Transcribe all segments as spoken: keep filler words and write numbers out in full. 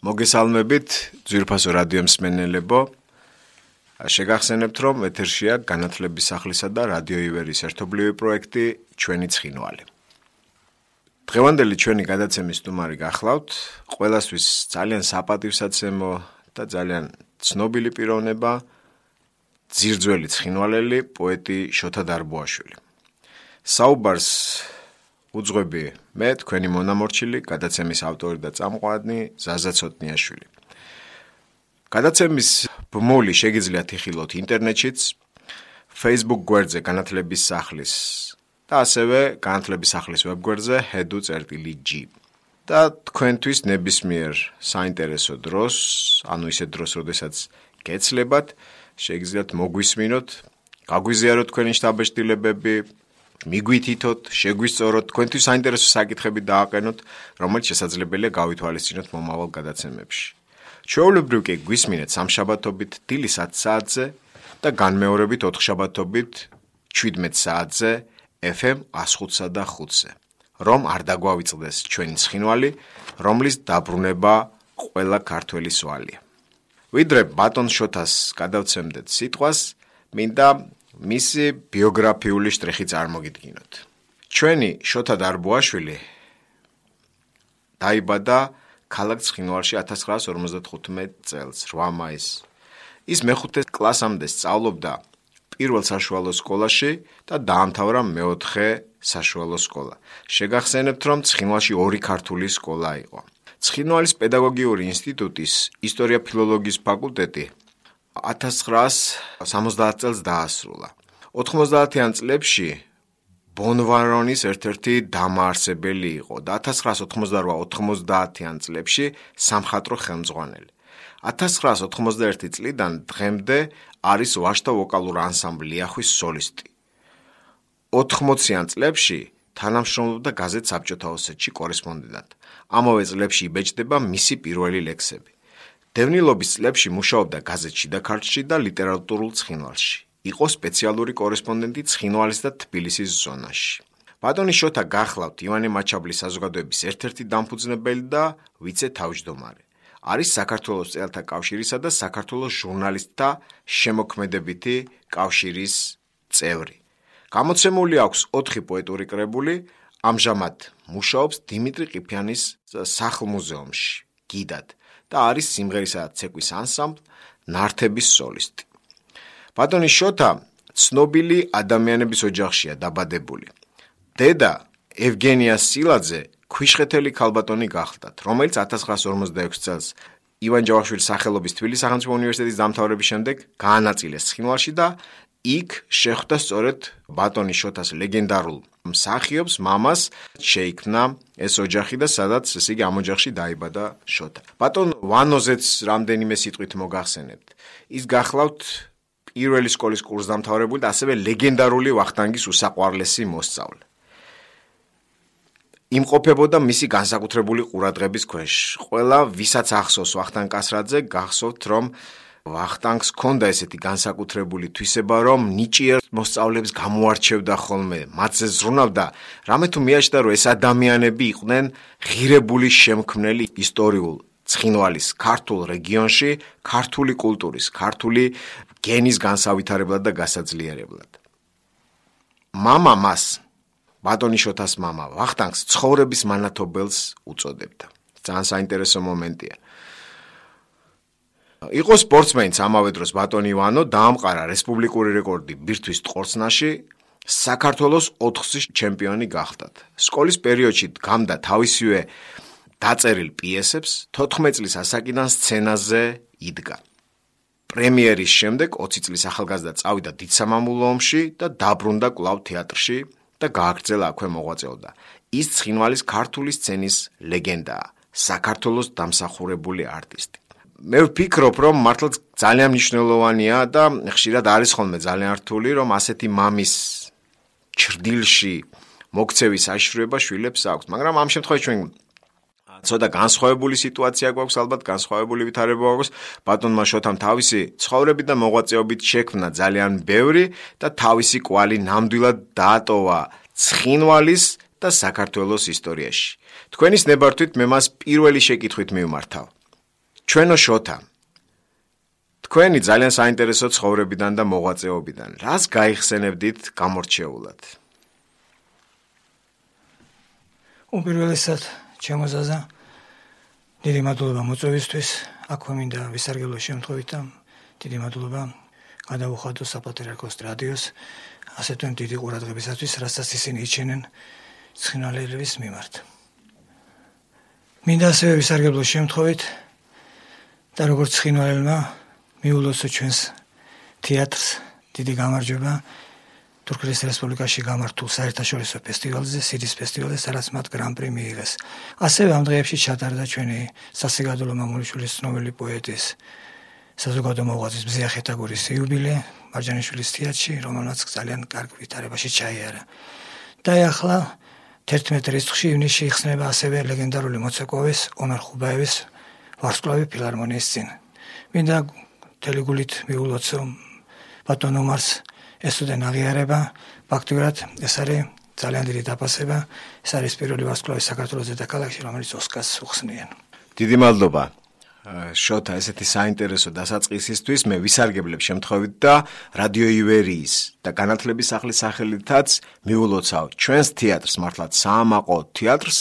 მოგესალმებით, ძვირფასო რადიო მსმენელებო. შეგახსენებთ, რომ ეთერშია განათლების სახლისა და რადიო ივერის ერთობლივი პროექტი ჩვენი ცხინვალი. დღევანდელი ჩვენი გადაცემის სტუმარი გახლავთ, ყველასთვის ძალიან საპატივსაცემო და ძალიან ცნობილი პიროვნება, ძირძველი ცხინვალელი პოეტი შოთა დარბუაშვილი. საუბარს უძღვები მე, თქვენი მონამორჩილი, გადაცემის ავტორი და წამყვანი ზაზა ცოტნიაშვილი. გადაცემის ბმული შეგიძლიათ იხილოთ ინტერნეტშიც, Facebook გვერდზე განათლების სახლის და ასევე განათლების სახლის ვებგვერდზე ჰედუ წერტილი ჯი. და თქვენთვის ნებისმიერ საინტერესო დროს, ანუ ისეთ დროს, როდესაც გეცლებათ, შეგიძლიათ მოგვისმინოთ, გაგვიზიაროთ თქვენი შთაბეჭდილებები, მიგვითითოთ, შეგვისწოროთ, თქვენთვის საინტერესო საკითხები დააყენოთ, რომელიც შესაძლებელია გავითვალისწინოთ მომავალ გადაცემებში. ჩვეულებრივ კი გვისმინეთ სამშაბათობით დილის ათი საათზე და განმეორებით ოთხშაბათობით შვიდმეტ საათზე ეფ ემ εκατს ხუთსა და ხუთზე, რომ არ დაგვავიწყდეს ჩვენი ცხინვალი, რომლის დაბრუნება ყველა ქართველის ვალია. ვიდრე ბატონ შოთას გადავცემდეთ სიტყვას, მინდა მისი ბიოგრაფიული შტრიხი წარმოგიდგინოთ. ჩვენი შოთა დარბუაშვილი დაიბადა ქალაქ ცხინვალში ათას ცხრაას ორმოცდათხუთმეტ წელს, რვა მაისს. ის მეხუთე კლასამდე სწავლობდა პირველ საშუალო სკოლაში და დაამთავრა მეოთხე საშუალო სკოლა. შეგახსენებთ, რომ ცხინვალში ორი ქართული სკოლა იყო. ცხინვალის პედაგოგიური ინსტიტუტის ისტორია-ფილოლოგიის ფაკულტეტი ათას ცხრაას სამოცდაათ წელს დაასრულა. ოთხმოცდაათიან წლებში ბონვარონის ერთ-ერთი დამაარსებელი იყო და ათას ცხრაას ოთხმოცდარვა ოთხმოცდაათიან წლებში სამხატვრო ხელმძღვანელი. ათას ცხრაას ოთხმოცდაერთი წლიდან დღემდე არის ვაჟთა ვოკალური ანსამბლი ლიახვის სოლისტი. ოთხმოციან წლებში თანამშრომლობდა გაზეთ საბჭოთა ოსეთში კორესპონდენტად. ამავე წლებში იბეჭდება მისი პირველი ლექსები. დევნილობის წლებში მუშაობდა გაზეთ შიდა ქართლში და ლიტერატურულ ცხინვალში. იყო სპეციალური კორესპონდენტი ცხინვალის და თბილისის ზონაში. ბატონი შოთა გახლავთ ივანე მაჩაბლის საზოგადოების ერთ-ერთი დამფუძნებელი და ვიცე-თავმჯდომარე. არის საქართველოს წელთა კავშირისა და საქართველოს ჟურნალისტთა შემოქმედებითი კავშირის წევრი. გამოცემული აქვს ოთხი პოეტური კრებული, ამჟამად მუშაობს დიმიტრი ყიფიანის სახლ-მუზეუმში, გიდად და არის სიმღერისა და ცეკვის ანსამბლ ნართების სოლისტი. ბატონი შოთა ცნობილი ადამიანების ოჯახშია დაბადებული. დედა ევგენია სილაძე ქვიშხეთელი ქალბატონი გახლდათ, რომელიც ათას ცხრაას ორმოცდაექვსი წელს ივან ჯავახიშვილის სახელობის თბილისის სახელმწიფო უნივერსიტეტის დამთავრების შემდეგ გაანაწილეს ცხინვალში და იქ შეხვდა სწორედ ბატონი შოთას ლეგენდარულ მსახიობს მამას, შეიქმნა ეს ოჯახი და სადაც ესე იგი ამ ოჯახში დაიბადა შოთა. ბატონ ვანოზეც რამდენიმე სიტყვით მოგახსენებთ. ის გახლავთ პირველი სკოლის კურსდამთავრებული და ასევე ლეგენდარული ვახტანგის უსაყვარლესი მოსწავლე. იმყოფებოდა მისი განსაკუთრებული ყურადღების ქვეშ. ყველა ვისაც ახსოვს ვახტანგ კასრაძე, გახსოვთ, რომ ვახტანგს ჰქონდა ესეთი განსაკუთრებული თვისება, რომ ნიჭიერ მოსწავლეებს გამოარჩევდა ხოლმე, მათზე ზრუნავდა, რამე თუ მიაჩნდა, რომ ეს ადამიანები იყვნენ ღირებული შემქმნელი ისტორიულ ცხინვალის ქართულ რეგიონში, ქართული კულტურის, ქართული გენის განსავითარებლად და გასაძლიერებლად. მამა მას, ბატონი შოთას მამა, ვახტანგს ცხოვრების მანათობელს უწოდებდა. ძალიან საინტერესო მომენტია. იყო სპორტსმენიც ამავე დროს ბატონი ივანო, დაამყარა რესპუბლიკური რეკორდი ბირთვის ტყორცნაში, საქართველოს ოთხგზის ჩემპიონი გახდათ. სკოლის პერიოდში დგამდა თავისივე დაწერილ პიესებს, თოთხმეტ წლის ასაკიდან სცენაზე იდგა. პრემიერის შემდეგ ოცი წლის ახალგაზრდა წავიდა დიდსამამულო ომში და დაბრუნდა კვლავ თეატრში და გააგრძელა აქვე მოღვაწეობდა. ის ცხინვალის ქართული სცენის ლეგენდაა, საქართველოს დამსახურებული არტისტი. მე ვფიქრობ, რომ მართლაც ძალიან მნიშვნელოვანია და ხშირად არის ხოლმე ძალიან რთული, რომ ასეთი მამის ჩრდილში მოქცევის საშიშროება შვილებს აქვს, მაგრამ ამ შემთხვევაში ჩვენ ცოტა განსხვავებული სიტუაცია გვაქვს, ალბათ განსხვავებული ვითარება გვაქვს. ბატონმა შოთამ თავისი ცხოვრებით და მოღვაწეობით შექმნა ძალიან ბევრი და თავისი კვალი ნამდვილად დაატოვა ცხინვალის და საქართველოს ისტორიაში. თქვენის ნებართვით მე მას პირველი შეკითხვით მივმართავ. ჩვენო შოთა თქვენი ძალიან საინტერესო ცხოვრებიდან და მოღვაწეობიდან რას გაიხსენებდით გამორჩეულად? უპირველესად ჩემო ზაზა დიდი მადლობა მოწვევისთვის, აქვე მინდა ვისარგებლო შემთხვევით და დიდი მადლობა გადავუხადო საპატრიარქოს რადიოს ასე თუ დიდი ყურადღებისათვის, რასაც ისინი იჩენენ ცხინვალელების მიმართ. მინდა ასევე ვისარგებლო შემთხვევით და როგორც ცხინვალელმა მიულოცო ჩვენს თეატრს დიდი გამარჯვება თურქეთის რესპუბლიკაში გამართულ საერთაშორისო ფესტივალზე, სიდის ფესტივალზე, სადაც მათ გრან-პრი მიიღეს. ასევე ამ დღეებში ჩატარდა ჩვენი სასიგადულო მამულიშვილის ცნობილი პოეტის საზოგადო მოღვაწის მზია ხეთაგურის იუბილე მარჯანიშვილის თეატრში, რომელმაც ძალიან კარგ ვითარებაში ჩაიარა. და ახლა თერთმეტ რიცხვში ივნისში იხსნება ასევე ლეგენდარული მოცეკვავის ომარ ხუბაევის ვარსკვლავი ფილარმონიის წინ. მინდა თელეგულით მიულოცო ბატონ ომარს ეს უდენ აღიარება, ფაქტურად ეს არის ძალიან დიდი დაფასება, ეს არის პირველი ვარსკვლავი საქართველოს დედაქალაქში, რომელიც ოსკარს უხსნიან. დიდი მადლობა. შოთა ესეთი საინტერესო დასაწყისისთვის მე ვისარგებლებ შემთხვევით და რადიო ივერიის და განათლების სახლის სახელითაც მიულოცავ ჩვენს თეატრს, მართლაც საამაყო თეატრს,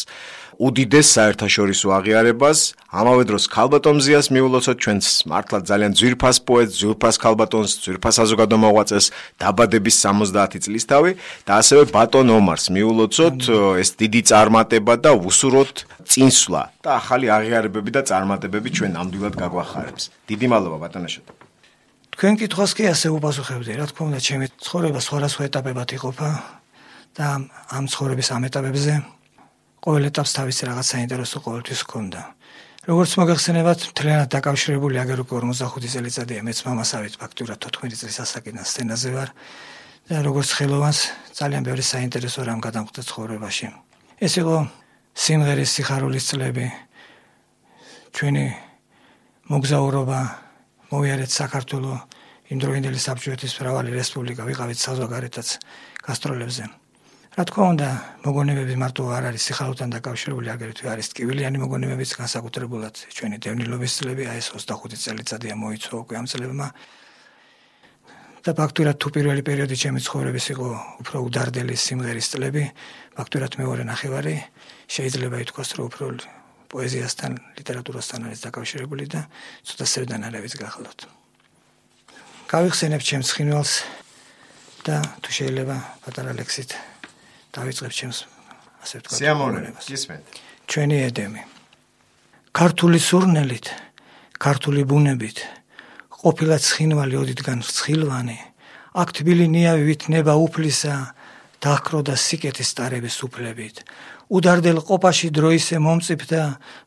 უდიდეს საერთაშორისო აღიარებას, ამავე დროს ქალბატონ მზიას მიულოცოთ ჩვენს მართლაც ძალიან ძვირფას პოეტს, ძვირფას ქალბატონს, ძვირფას საზოგადო მოღვაწეს დაბადების სამოცდაათი წლისთავი და ასევე ბატონ ომარს მიულოცოთ ეს დიდი წარმატება და ვუსურვოთ წინსვლა და ახალი აღიარებები და წარმატებები ჩვენ ნამდვილად გაგვახარებს. დიდი მადლობა ბატონო შოთა. თქვენ კითხვას კი ასე უპასუხებდი, რა თქმა უნდა, ჩემი ცხოვრება სხვადასხვა ეტაპებად იყოფა და ამ ცხოვრების ამ ეტაპებზე ყოველ ეტაპს თავისი რაღაც საინტერესო ყოველთვის ჰქონდა. როგორც მოგეხსენებათ, მთლიანად დაკავშირებული აგერ უკვე ორმოცდახუთი წელიწადია მეც მამასავით ფაქტურად თოთხმეტი წლის ასაკიდან სცენაზე ვარ და როგორც ხელოვანს ძალიან ბევრი საინტერესო რამ გადამხდა ცხოვრებაში. ეს იყო სიმღერის სიხარულის წლები, ჩვენი მოგზაურობა, მოვიარეთ საქართველო, იმდროინდელი საბჭოეთის მრავალი რესპუბლიკა, ვიყავით საზღვარგარეთაც გასტროლებზე. რა თქმა უნდა, მოგონებები მარტო არ არის სიხარულთან დაკავშირებული, აგრეთვე არის ტკივილიანი მოგონებებიც, განსაკუთრებულად ჩვენი დევნილობის წლები, აი ეს ოცდახუთი წელიწადია მოიცვა უკვე ამ წლებმა. და ფაქტურად თუ პირველი პერიოდი ჩემი ცხოვრების იყო უფრო უდარდელი სიმღერის წლები, ფაქტურად მეორე ნახევარი შეიძლება ითქვას, რომ უფრო პოეზიასთან, ლიტერატურასთან არის დაკავშირებული და ცოტა სევდანალებიც გახლავთ. გავიხსენებ ჩემს ცხინვალს და თუ შეიძლება პატარა ლექსით დავიწყებ ჩემს ასე ვთქვათ. სიამოვნებით, გისმენთ. ჩვენი ედემი. ქართული სურნელით, ქართული ბუნებით, ყოფილა ცხინვალი ოდითგან ცხილვანი, აქ თბილი ნიავი ვითნება უფლისა, დაჰკროდა სიკეთის სტარების უფლებით. უდარდელ ყოფაში დროისე მომწიფდა,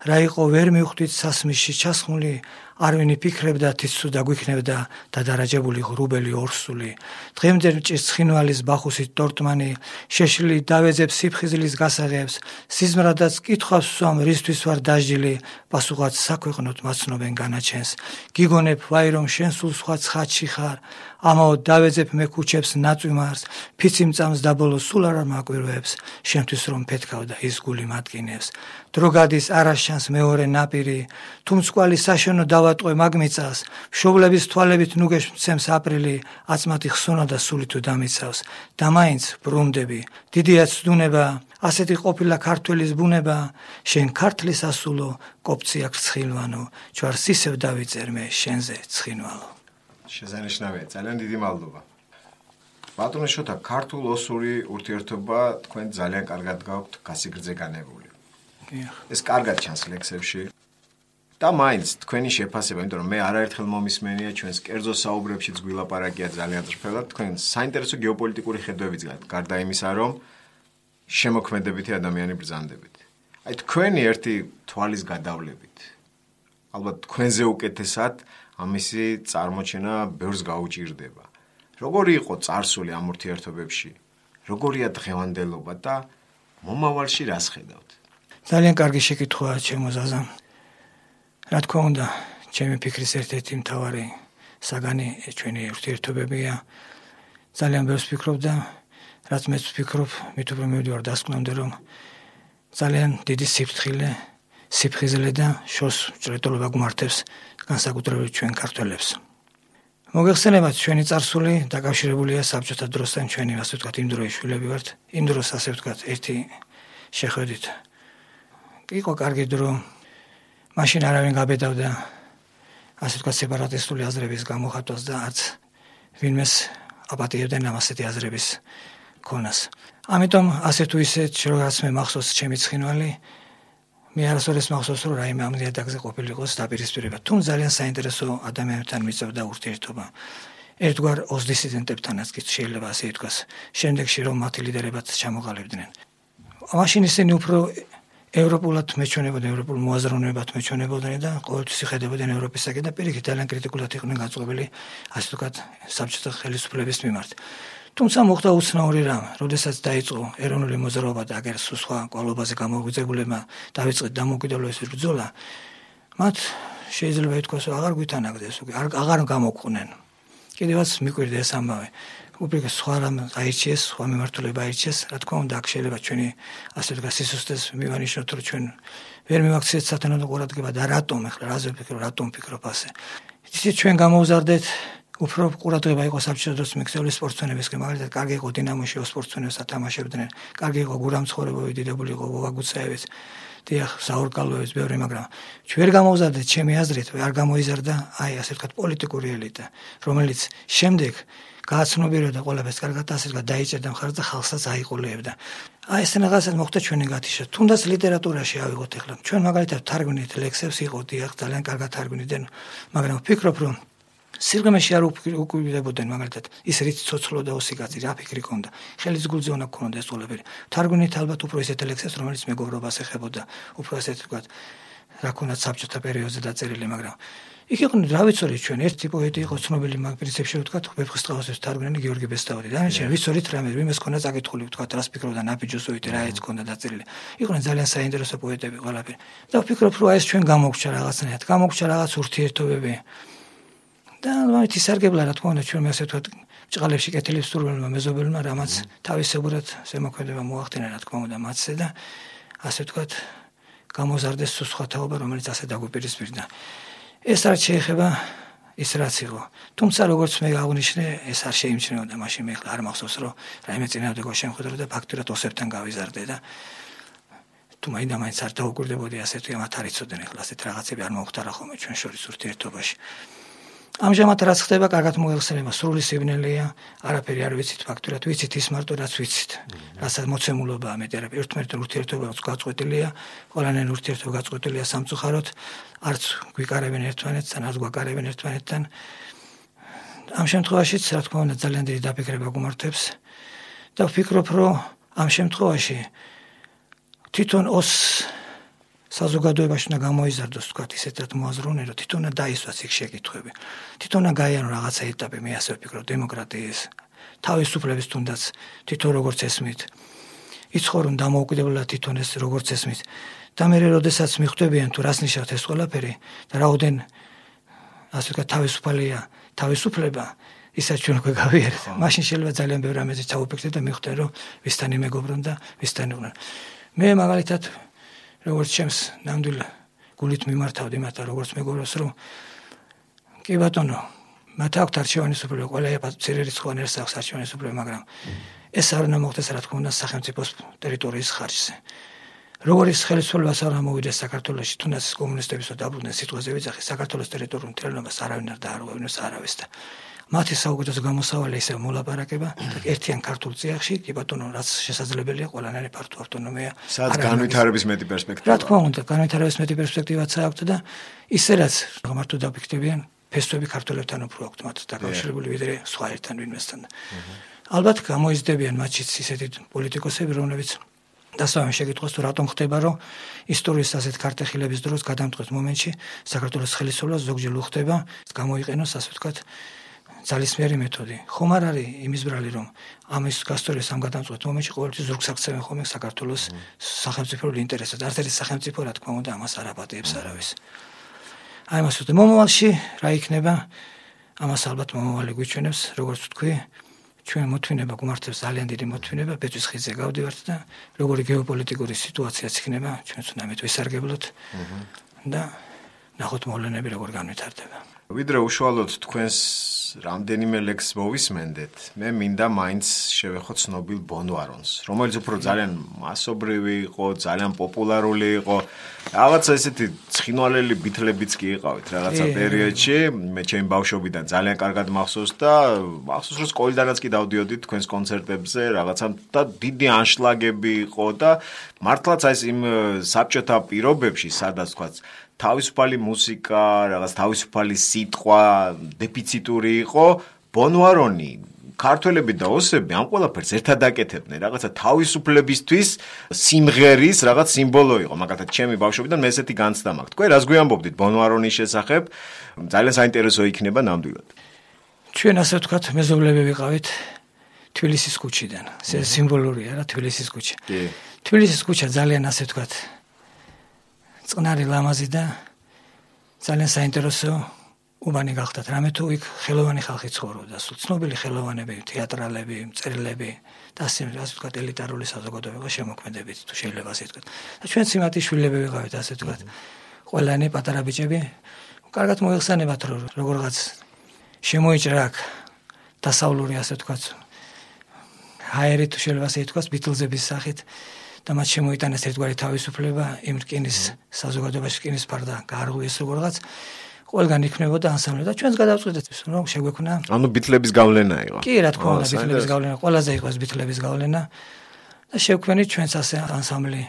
რა იყო ვერ მივხვდით სასმისში ჩასხმული, არვინი ფიქრებდა თიცუ დაგვიქნებდა დადარაჯებული ღრუბელი ორსული. დღემდე მჭირს ცხინვალის ბახუსით ტორტმანი, შეშლილი დავეძებს სიფხიზლის გასაღებს, სიზმრადაც კითხვას ვსვამ რისთვის ვარ დაჟდილი, პასუხად საქვეყნოდ მაცნობენ განაჩენს. გიგონებ ვაი რომ შენ სულ სხვა ცხადში ხარ, ამაო დავეძებ მე ქუჩებს ნაწვიმარს, ფიცი მწამს და ბოლოს სულ არ მაკვირვებს, შენთვის რომ ფეთქავდა ის გული მატკინებს. დრო გადის არაშანს მეორე ნაპირი, თუ მწკვალი საშენო დავატყვე მაგმიწას, მშობლების თვალებით ნუგეშ მცემს აპრილი, აწმათი ხსონა და სული თუ დამიცავს, და მაინც ბრუნდები, დიდია ცდუნება, ასეთი ყოფილა ქართველის ბუნება, შენ ქართლის ასულო, კოპცი აქ ცხინვანო, ჯვარს ისევ დავიწერ მე შენზე ცხინვალო. შესანიშნავია, ძალიან დიდი მადლობა. ბატონო შოთა, ქართულ-ოსური ურთიერთობა თქვენ ძალიან კარგად გაქვთ გასიგრძე განებული. ეს კარგად ჩანს ლექსებში. და მაინც თქვენი შეფასება, იმიტომ რომ მე არაერთხელ მომისმენია ჩვენს კერძო საუბრებშიც გვილაპარაკია ძალიან წრფელად, თქვენ საინტერესო გეოპოლიტიკური ხედვებიც გაქვთ, გარდა იმისა, რომ შემოქმედებითი ადამიანი ბრძანდებით. აი თქვენი ერთი თვალის გადავლებით. ალბათ თქვენზე უკეთესად ამისი წარმოჩენა ბევრს გაუჭირდება. როგორი იყო წარსული ამ ურთიერთობებში? როგორია დღევანდელობა და მომავალში რას ხედავთ? ძალიან კარგი შეკითხვაა ჩემო ზაზა. რა თქმა უნდა, ჩემი ფიქრის ერთ-ერთი მთავარი საგანი ჩვენი ურთიერთობებია. ძალიან ბევრს ვფიქრობ და რაც მეც ვფიქრობ, მით უფრო მივდივარ დასკვნამდე, რომ ძალიან დიდი სიფრთხილე, სიფხიზლე და შორს ჭრეტულობა გვმართებს განსაკუთრებით ჩვენ ქართველებს. მოგეხსენებათ, ჩვენი წარსული დაკავშირებულია საბჭოთა დროსთან, ჩვენი ასე ვთქვათ იმ დროის შვილები ვართ, იმ დროს ასე ვთქვათ ერთი შეხვედით. იყო კარგი დრო, მაშინ არავინ გაბედავდა ასე ვთქვათ სეპარატისტული აზრების გამოხატვას და არც ვინმეს აპატიებდნენ ამ ასეთი აზრების ქონას. ამიტომ ასე თუ ისე რაც მე მახსოვს ჩემი ცხინვალი, მე არასოდეს მახსოვს რომ რაიმე ამ ნიადაგზე ყოფილიყოს დაპირისპირება. თუმცა ძალიან საინტერესო ადამიანებთან მიწევდა ურთიერთობა. ერთგვარ ოსდისიდენტებთანაც კი შეიძლება ასე ითქვას. შემდეგში რომ მათი ლიდერებად ჩამოყალიბდნენ. მაშინ ისინი უფრო ევროპულად მეჩვენებოდნენ, ევროპულ მოაზროვნებად მეჩვენებოდნენ და ყოველთვის იხედებოდნენ ევროპისაკენ და პირიქით ძალიან კრიტიკულად იყვნენ განწყობილი ასე ვთქვათ საბჭოთა ხელისუფლების მიმართ. თუმცა მოხდა უცნაური რამ, როდესაც დაიწყო ეროვნული მოძრაობა და აგერ სხვა კვალობაზე გამოგვიძებულებმა დავიწყეთ დამოუკიდებლობის ბრძოლა, მათ შეიძლება ითქვას, რომ აღარ გვითანაგდეს, აღარ გამოგყვნენ. კიდევაც მიკვირდა ეს ამბავი. უბრალოდ სხვა რამ აირჩიეს, სხვა მიმართულება აირჩიეს, რა თქმა უნდა, აქ შეიძლება ჩვენი ასე ვთქვათ სისუსტეს მივანიშნოთ, რომ ჩვენ ვერ მივაქციეთ სათანადო ყურადღება და რატომ ახლა რაზე ვფიქრობ, რატომ ვფიქრობ ასე. ისიც ჩვენ გამოვზარდეთ უფრო ყურადღება იყო საბჭოთა დროს მიქცეული სპორტსმენებისკენ, მაგალითად, კარგი იყო დინამოში სპორტსმენებს ათამაშებდნენ, კარგი იყო გურამცხოვრებოვი, დიდებული იყო ვოვაგუცაევიც, დიახ, საურკალოევიც, ბევრი, მაგრამ ჩვენ ვერ გამოვზარდეთ, ჩემი აზრით, არ გამოიზარდა აი ასე ვთქვათ პოლიტიკური ელიტა, რომელიც შემდეგ გააცნობიერებდა ყველაფერს, კარგად ასე ვთქვათ დაიჭერდა მხარს და ხალხსაც აიყოლეებდა. აი ეს რაღაცას მოხდა ჩვენი გათიშა. თუნდაც ლიტერატურაში ავიღოთ ახლა. ჩვენ მაგალითად თარგმნით ლექსებს, იყო დიახ, ძალიან კარგად თარგმნიდნენ, მაგრამ ვფიქრობ, რომ სიღრმეში არ უკუვიდებოდნენ მაგალითად ის რით ცოცხლო და ოსიკაცი რა ფიქრი ქონდა ხელის გულზე უნდა ქონოდა ეს ყველაფერი თარგმნით ალბათ უფრო ისეთ ლექსებს რომელიც მეგობრობას ეხებოდა უფრო ასეთ ვთქვათ რა ქონდა საბჭოთა პერიოდზე დაწერილი მაგრამ იქ იყვნენ რა ვიცოდი ჩვენ ერთი პოეტი იყო ცნობილი მაგ პრინციპში ვთქვათ ვეფხისტყაოსის თარგმნელი გიორგი ბესტაური და ჩვენ ვიცოდით რამე ვიმეს ქონდა წაკითხული ვთქვათ რას ფიქრობდა ნაბიჯოსოვიტი რა ეც ქონდა დაწერილი იყვნენ ძალიან საინტერესო პოეტები ყველაფერი და ვფიქრობ რომ ეს ჩვენ გამოგჩა რაღაცნაირად გამოგჩა რაღაც ურთიერთობები და მათ ისარგებლა რა თქმა უნდა ჩვენ მე ასე ვთქვათ ჭყალებში კეთილებს სურველმა მეზობელმა რამაც თავისებურად ზემოქმედება მოახდინა რა თქმა უნდა მათზე და ასე ვთქვათ გამოზარდეს სხვა თაობა რომელიც ასე დაგვიპირისპირდა ეს არ შეეხება ის რაც იყო თუმცა როგორც მე აღნიშნე ეს არ შეიმჩნეოდა მაშინ მე ხლა არ მახსოვს რომ რაიმე წინააღმდეგო შემხედრო და ფაქტურად ოსებთან გავიზარდე და თუ მაინდა მაინც არ დაუკვირდებოდი ასე თუ მათ არ იცოდნენ ხლა ასეთ რაღაცები არ მოხდარა ხოლმე ჩვენ შორის ურთიერთობაში ამჟამად რაც ხდება, კარგად მოიხსენება, სრული სიბნელეა, არაფერი არ ვიცით ფაქტურად, ვიცით ის მარტო რაც ვიცით. რასაც მოცემულობაა მეტი არაფერი, ერთმანეთთან ურთიერთობაც გაწყვეტილია, ყველანაირ ურთიერთობა გაწყვეტილია სამწუხაროდ, არც გვიკარებენ ერთმანეთს, არც გვაკარებენ ერთმანეთთან. ამ შემთხვევაშიც, რა თქმა უნდა, ძალიან დიდი დაფიქრება გვმართებს და ვფიქრობ, რომ ამ შემთხვევაში თვითონ ოს საზოგადოებაში უნდა გამოიზარდოს თქვა ისეთ რაც მოაზროვნე რომ თვითონ დაისვას იქ შეკითხვები თვითონ გაიანო რაღაცა ეტაპი მე ასე ვფიქრობ დემოკრატიის თავისუფლების თუნდაც თვითონ როგორც ესმით იცხოვრონ დამოუკიდებლად თვითონ ეს როგორც ესმით და მე როდესაც მიხვდებიან თუ რას ნიშნავს ეს ყველაფერი და რაოდენ ასე ვთქვათ თავისუფალია თავისუფლება ისაც ჩვენ უკვე გავიარეთ მაშინ შეიძლება ძალიან ბევრი რამეზე ჩავუფიქრდეთ და მიხვდნენ რომ ვისთან იმეგობრონ და ვისთან იყვნენ მე მაგალითად როგორც ჩემს ნამდვილ გულით მიმართავდი მათ როგორც მეგობრებს რომ კი ბატონო მათ აქვთ არჩევანის უფლება ყველა წერილრიცხოვან ერთს აქვს არჩევანის უფლება მაგრამ ეს არ უნდა მოხდეს რა თქმა უნდა სახელმწიფოს ტერიტორიის ხარჯზე როგორც ხელისუფლებას არ ამოვიდეს საქართველოში თუნდაც კომუნისტებისო დაბრუნდნენ სიტყვაზე ვიძახი საქართველოს ტერიტორიულ მთლიანობას არავინ არ დაარღვევინოს არავის და მათი საუკეთესო გამოსავალი ისე მოლაპარაკება ერთიან ქართულ წიაღში კი ბატონო რაც შესაძლებელია ყველანაირი ფართო ავტონომია სადაც განვითარების მეტი პერსპექტივა რა თქმა უნდა განვითარების მეტი პერსპექტივაც აქვს და ისე რაც მარტო დაფიქრდებიან ფესვები ქართველებთან უფრო აქვს მათ დაკავშირებული ვიდრე სხვა ერთთან ვინმესთან ალბათ გამოიზრდებიან მათშიც ისეთი პოლიტიკოსები რომლებიც დასავენ შეკითხვას თუ რატომ ხდება რომ ისტორიის ასეთ ქართეხილების დროს გადამწყვეტ მომენტში საქართველოს ხელისუფლება ზოგჯერ უხდება გამოიყენოს ასე ვთქვათ ძალისმიერი მეთოდი. ხომ არ არის იმის ბრალი რომ ამის გასწორების ამ გადამწყვეტ მომენტში ყოველთვის ზურგს აქცევენ ხოლმე საქართველოს სახელმწიფოებრივ ინტერესებს. არც ერთი სახელმწიფო რა თქმა უნდა ამას არ აპატიებს არავის. აი მას ვთქვი მომავალში რა იქნება ამას ალბათ მომავალი გვიჩვენებს როგორც ვთქვი ჩვენ მოთმინება გვმართებს ძალიან დიდი მოთმინება, ბეწვის ხიდზე გავდივართ და როგორი გეოპოლიტიკური სიტუაციაც იქნება, ჩვენც უნდა ამით ვისარგებლოთ და ნახოთ მოვლენები როგორ განვითარდება. ვიდრე უშუალოდ თქვენს რამდენიმე ლექსს მოვისმენდეთ, მე მინდა მაინც შევეხო ცნობილ ბონვარონს, რომელიც უფრო ძალიან მასობრივი იყო, ძალიან პოპულარული იყო. რაღაცა ესეთი ცხინვალელი ბითლებიც კი იყავით რაღაცა პერიოდში, მე ჩემი ბავშვობიდან ძალიან კარგად მახსოვს და მახსოვს რომ სკოლიდანაც კი დავდიოდი თქვენს კონცერტებზე, რაღაცა და დიდი ანშლაგები იყო და მართლაც აი იმ საბჭოთა პირობებში, სადაც თქვა თავისუფალი მუსიკა, რაღაც თავისუფალი სიტყვა, დეფიციტური იყო, ბონვარონი, ქართველები და ოსები ამ ყველაფერს ერთად აკეთებდნენ, რაღაცა თავისუფლებისთვის სიმღერის რაღაც სიმბოლო იყო, მაგალითად ჩემი ბავშვობიდან მე ესეთი განცდა მაქვს. თქვენ რას გვიამბობდით ბონვარონის შესახებ? ძალიან საინტერესო იქნება ნამდვილად. ჩვენ ასე ვთქვათ, მეზობლები ვიყავით თბილისის ქუჩიდან. ეს სიმბოლურია რა თბილისის ქუჩა. კი. თბილისის ქუჩა ძალიან ასე ვთქვათ წყნარი ლამაზი და ძალიან საინტერესო უბანი გახდათ. რამე თუ იქ ხელოვანი ხალხი ცხოვრობდა, სულ ცნობილი ხელოვანები, თეატრალები, მწერლები და ასე ასე ვთქვათ ელიტარული საზოგადოება შემოქმედებით თუ შეიძლება ასე ვთქვათ. და ჩვენც იმათი შვილები ვიყავით ასე ვთქვათ. ყველანი პატარა ბიჭები კარგად მოიხსენებათ რომ როგორღაც შემოიჭრა აქ დასავლური ასე ვთქვათ ჰაერი თუ შეიძლება ასე ვთქვათ ბიტლზების სახით და მათ შემოიტანეს ერთგვარი თავისუფლება იმ რკინის საზოგადოებაში რკინის ფარდა გაარღვიეს როგორღაც ყველგან იქნებოდა ანსამბლი და ჩვენს გადავწყვიტეთ რომ შეგვექნა ანუ ბიტლების გავლენა იყო კი რა თქმა უნდა ბიტლების გავლენა ყველაზე იყო ეს ბიტლების გავლენა და შევქმნით ჩვენს ასე ანსამბლი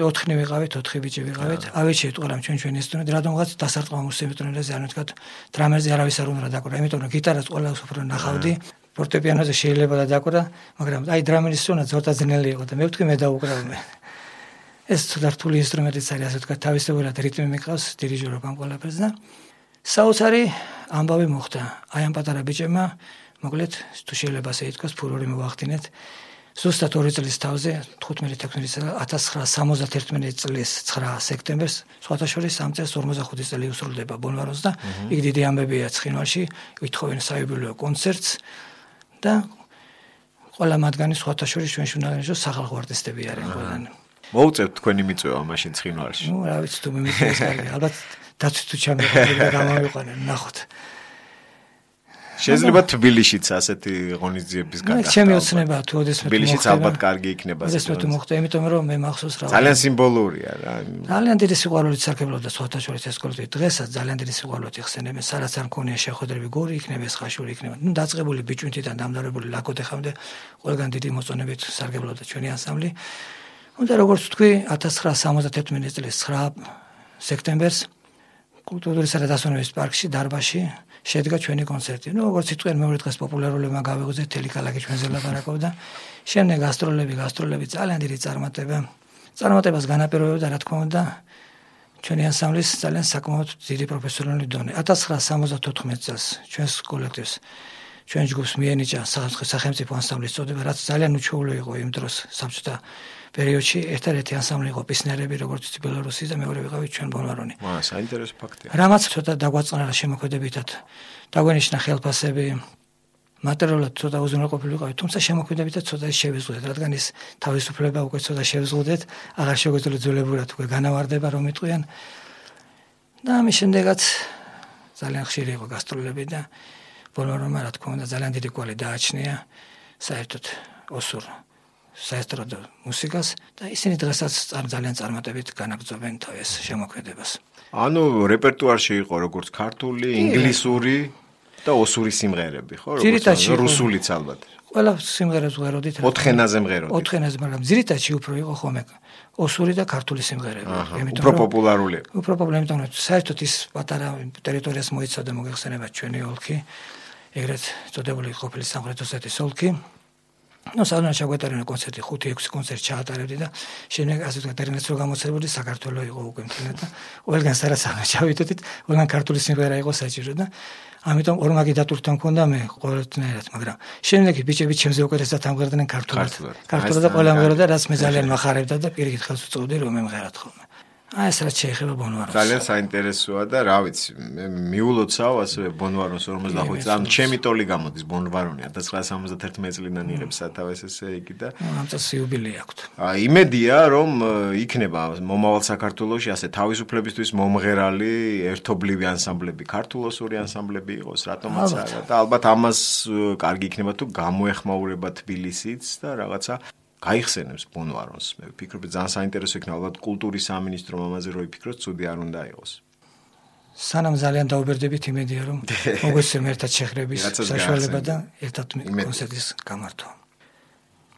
ოთხი ვიყავით ოთხი ბიჭი ვიყავით ავეჩეთ ყველამ ჩვენ ჩვენი ინსტრუმენტი რადგანაც დასარტყმა ინსტრუმენტებზე არ ვთქვათ დრამერზე არავის არ უნდა დაკვრა იმიტომ რომ გიტარას ყველას უფრო ნახავდი ფორტეპიანოზე შეიძლება და დაკვრა მაგრამ აი დრამერის სუნა ზორტა ძნელი იყო და მე ვთქვი მე დაუკრავ ეს ცოტა რთული ინსტრუმენტიც არის ასე ვთქვათ თავისებურად რიტმი მიყავს დირიჟორობ ამ ყველაფერს და საოცარი ამბავი მოხდა აი ამ პატარა ბიჭებმა მოკლედ თუ შეიძლება ასე ითქვას ფურორი მოახდინეთ ზუსტად ორი წლის თავზე თხუთმეტი ათას ცხრაასა სამოცდაერთი წლის ცხრა სექტემბერს სხვათა შორის ამ წელს ორმოცდახუთი წელი უსრულდება ბონვარონს და იქ დიდი ამბებია ცხინვალში ვითხოვენ საიუბილეო კონცერტს და ყველა მათგანი სხვათა შორის ჩვენ ჟურნალისტები სახალხო არტისტები არიან ყველანი მოუწევთ თქვენი მიწვევა მაშინ ცხინვალში ნუ რა ვიცი თუ მე მიწვევს კარგი ალბათ დაცვით თუ ჩამეყალიბდა გამოვიყვანენ ნახოთ შეიძლება თბილისშიც ასეთი ღონისძიების გადახდა. ჩემი ოცნება თუ ოდესმე თბილისშიც ალბათ კარგი იქნება. ოდესმე თუ მოხდა, იმიტომ რომ მე მახსოვს რა. ძალიან სიმბოლურია რა. ძალიან დიდი სიყვარულით სარგებლობდა სხვათა შორის ეს კონცერტი. დღესაც ძალიან დიდი სიყვარულით იხსენებენ. სადაც არ მქონია შეხვედრები, გორი იქნება, ხაშური იქნება. ნუ დაწყებული ბიჭუნთიდან დამდარებული ლაკოდეხამდე ყველგან დიდი მოწონებით სარგებლობდა ჩვენი ანსამბლი. უნდა როგორც თქვი ათას ცხრაასა სამოცდაერთი წლის ცხრა სექტემბერს კულტურისა და დასვენების პარკში დარბაზში შედგა ჩვენი კონცერტი. ნუ როგორც იტყვიან მეორე დღეს პოპულარულობამ გავიღოთ თელი ქალაქი ჩვენზე ლაპარაკობდა. შემდეგ გასტროლები, გასტროლები ძალიან დიდი წარმატება. წარმატებას განაპირობებდა რა თქმა უნდა ჩვენი ანსამბლის ძალიან საკმაოდ დიდი პროფესიონალური დონე. ათას ცხრაასა სამოცდათოთხმეტ წელს ჩვენს კოლექტივს ჩვენ ჯგუფს მიენიჭა სახელმწიფო ანსამბლის წოდება, რაც ძალიან უჩვეულო იყო იმ დროს საბჭოთა პერიოდში. ერთადერთი ანსამბლი იყო პისნერები, როგორც ბელორუსი და მეორე ვიყავით ჩვენ ბონვარონი. ვა, საინტერესო ფაქტია. რამაც ცოტა დაგვაწყნარა შემოქმედებითად. დაგვენიშნა ხელფასები, მატერიალურად ცოტა უზრუნველყოფილი ვიყავით, თუმცა შემოქმედებითად ცოტა შევიზღუდეთ, რადგან ის თავისუფლება უკვე ცოტა შევიზღუდეთ, აღარ შეგვეძლო ძვლებურად უკვე განავარდება რომ იტყვიან. და ამის შემდეგაც ძალიან ხშირი იყო გასტროლები და ბონვარონმა რა თქმა უნდა ძალიან დიდი კვალი დააჩნია საერთოდ ოსურ საესტრადო მუსიკას და ისინი დღესაც ძალიან წარმატებით განაგრძობენ თავის შემოქმედებას. ანუ რეპერტუარში იყო როგორც ქართული, ინგლისური და ოსური სიმღერები, ხო? როგორც რუსულიც ალბათ. ყველა სიმღერას ვღეროდით. ოთხენაზე მღეროდით. ოთხენაზე, მაგრამ ძირითადში უფრო იყო ხოლმე ოსური და ქართული სიმღერები. უფრო პოპულარული. უფრო პოპულარული, იმიტომ რომ საერთოდ ის პატარა ტერიტორიას მოიცავდა მოგეხსენებათ ჩვენი ოლქი, ეგრეთ წოდებული ყოფილი სამხრეთ ოსეთის ოლქი. ნუ სადღაც ჩაგვეტარებინა კონცერტი ხუთი ექვსი კონცერტი ჩაატარებდი და შემდეგ ასე ვთქვათ ტერმინაცი რო გამოცემული საქართველოს იყო უკვე მთლიანად და ყველგან სადაც ჩავიდოდით ყველგან ქართული სიმღერა იყო საჭირო და ამიტომ ორმაგი დატვირთვა მქონდა მე ყოველთნაირად მაგრამ შემდეგ ბიჭები ჩემზე უკეთესად ამღერდნენ ქართულად ქართულად და ყველა ამღეროდა რაც მე ძალიან მახარებდა და პირიქით ხელს უწყობდი რომ მე მღერად ხოლმე აი ეს რაც შეეხება ბონვარონს. ძალიან საინტერესოა და რა ვიცი, მე მიულოცავ ასევე ბონვარონს ორმოცდახუთი წელი. ანუ ჩემი ტოლი გამოდის ბონვარონი ათას ცხრაასი სამოცდაერთმეტი წლიდან იღებს სათავეს ესე იგი და ამ წელს იუბილეი აქვს. აი იმედია რომ იქნება მომავალ საქართველოში ასე თავისუფლებისთვის მომღერალი ერთობლივი ანსამბლები, ქართულოსური ანსამბლები იყოს, რატომაც არა და ალბათ ამას კარგი იქნება თუ გამოეხმაურება თბილისიც და რაღაცა გაიხსენებს ბონვარონს. მე ვფიქრობ, ძალიან საინტერესო იქნება ალბათ კულტურის სამინისტრომ ამაზე რო იფიქროს, ცუდი არ უნდა იყოს. სანამ ძალიან დაუბერდებით, იმედია რომ მოგვეცემ ერთად შეხრების საშუალება და ერთად კონცერტის გამართვა.